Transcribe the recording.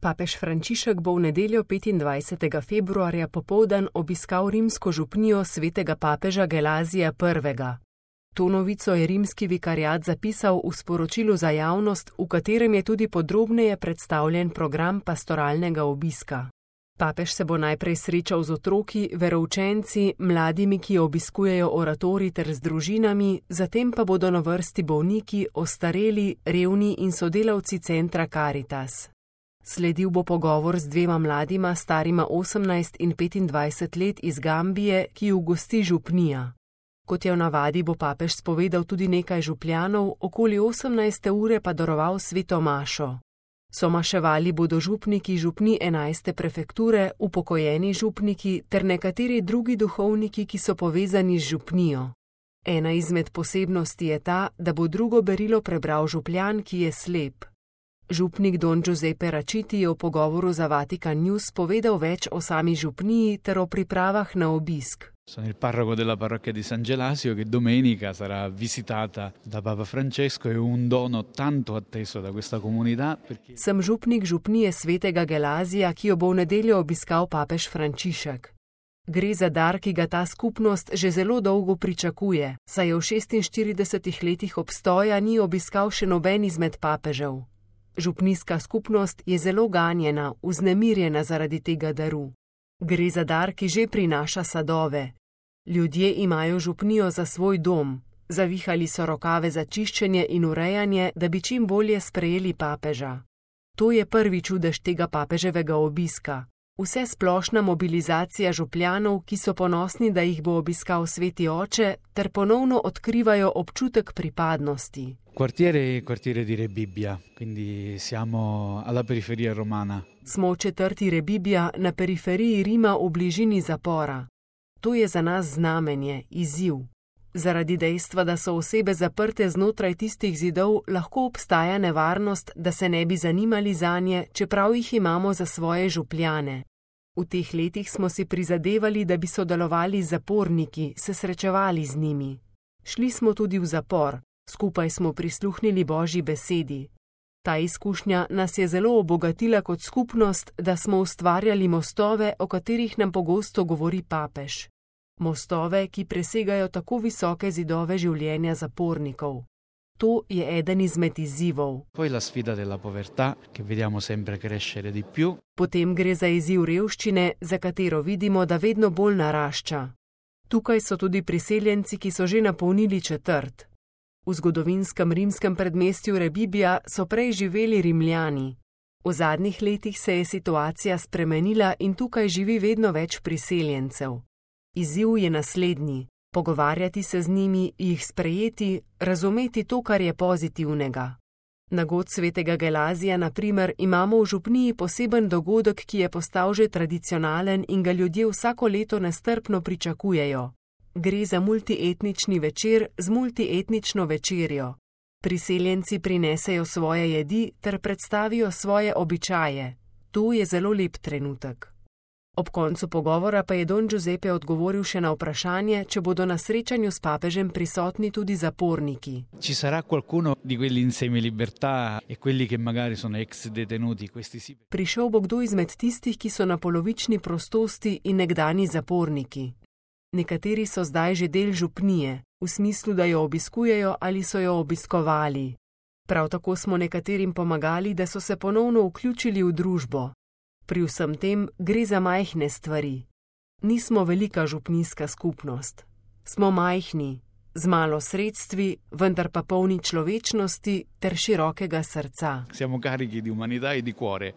Papež Frančišek bo v nedeljo 25. februarja popoldan obiskal rimsko župnijo svetega papeža Gelazija I. To novico je rimski vikariat zapisal v sporočilu za javnost, v katerem je tudi podrobneje predstavljen program pastoralnega obiska. Papež se bo najprej srečal z otroki, veroučenci, mladimi, ki obiskujejo oratorij ter z družinami, zatem pa bodo na vrsti bolniki, ostareli, revni in sodelavci centra Caritas. Sledil bo pogovor z dvema mladima, starima 18 in 25 let iz Gambije, ki ju gosti župnija. Kot je v navadi, bo papež spovedal tudi nekaj župljanov, okoli 18. ure pa daroval sveto mašo. Somaševali bodo župniki župni 11. prefekture, upokojeni župniki ter nekateri drugi duhovniki, ki so povezani z župnijo. Ena izmed posebnosti je ta, da bo drugo berilo prebral župljan, ki je slep. Župnik Don Giuseppe Raciti je v pogovoru za Vatican News povedal več o sami župniji ter o pripravah na obisk. Sono il parroco della parrocchia di San Gelasio che domenica sarà visitata da Papa Francesco e un dono tanto atteso da questa comunità. Sem župnik župnije svetega Gelazija, ki jo bo v nedeljo obiskal papež Frančišek. Gre za dar, ki ga ta skupnost že zelo dolgo pričakuje, saj je v 46 letih obstoja ni obiskal še noben izmed papežev. Župnijska skupnost je zelo ganjena, vznemirjena zaradi tega daru. Gre za dar, ki že prinaša sadove. Ljudje imajo župnijo za svoj dom, zavihali so rokave za čiščenje in urejanje, da bi čim bolje sprejeli papeža. To je prvi čudež tega papeževega obiska. Vse splošna mobilizacija župljanov, ki so ponosni, da jih bo obiskal sveti oče, ter ponovno odkrivajo občutek pripadnosti. Quartiere di Rebibbia, quindi siamo alla periferia romana. Smo v četrti Rebibbia na periferiji Rima v bližini zapora. To je za nas znamenje, izziv. Zaradi dejstva, da so osebe zaprte znotraj tistih zidov, lahko obstaja nevarnost, da se ne bi zanimali zanje, čeprav jih imamo za svoje župljane. V teh letih smo si prizadevali, da bi sodelovali z zaporniki, se srečevali z njimi. Šli smo tudi v zapor, skupaj smo prisluhnili Božji besedi. Ta izkušnja nas je zelo obogatila kot skupnost, da smo ustvarjali mostove, o katerih nam pogosto govori papež. Mostove, ki presegajo tako visoke zidove življenja zapornikov. To je eden izmed izzivov. Poi la sfida della povertà, che vediamo sempre crescere di più. Potem gre za izziv revščine, za katero vidimo, da vedno bolj narašča. Tukaj so tudi priseljenci, ki so že napolnili četrt. V zgodovinskem rimskem predmestju Rebibbia so prej živeli Rimljani. V zadnjih letih se je situacija spremenila in tukaj živi vedno več priseljencev. Izziv je naslednji: pogovarjati se z njimi, jih sprejeti, razumeti to, kar je pozitivnega. Na god svetega Gelazija, na primer, imamo v župniji poseben dogodek, ki je postal že tradicionalen in ga ljudje vsako leto nestrpno pričakujejo. Gre za multietnični večer z multietnično večerjo. Priseljenci prinesejo svoje jedi ter predstavijo svoje običaje. To je zelo lep trenutek. Ob koncu pogovora pa je Don Giuseppe odgovoril še na vprašanje, če bodo na srečanju s papežem prisotni tudi zaporniki. Ci sarà qualcuno di quelli in semi-libertà e quelli che magari sono ex detenuti, questi sì. Prišel bo kdo izmed tistih, ki so na polovični prostosti in nekdani zaporniki. Nekateri so zdaj že del župnije, v smislu, da jo obiskujejo ali so jo obiskovali. Prav tako smo nekaterim pomagali, da so se ponovno vključili v družbo. Pri vsem tem gre za majhne stvari. Nismo velika župnijska skupnost. Smo majhni, z malo sredstvi, vendar pa polni človečnosti ter širokega srca. Siamo carichi di umanità e di cuore.